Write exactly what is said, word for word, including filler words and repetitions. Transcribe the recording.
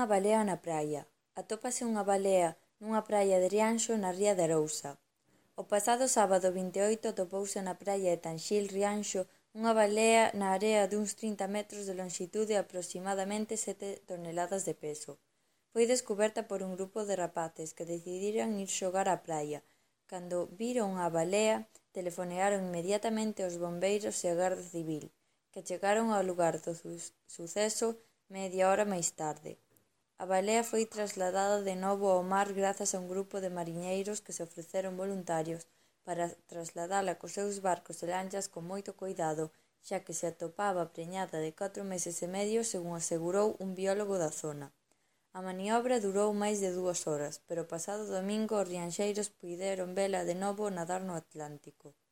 Unha balea na praia. Atópase unha balea nunha praia de Rianxo na ría de Arousa. O pasado sábado vinte e oito atopouse na praia de Tanxil, Rianxo, unha balea na area duns trinta metros de lonxitude e aproximadamente sete toneladas de peso. Foi descuberta por un grupo de rapaces que decidiran ir xogar á praia. Cando viron a balea, telefonearon inmediatamente aos bombeiros e a Garda Civil, que chegaron ao lugar do suceso media hora máis tarde. A balea foi trasladada de novo ao mar grazas a un grupo de mariñeiros que se ofreceron voluntarios para trasladala cos seus barcos e lanchas con moito coidado, xa que se atopaba preñada de catro meses e medio, según asegurou un biólogo da zona. A maniobra durou máis de dúas horas, pero o pasado domingo os rianxeiros puideron vela de novo nadar no Atlántico.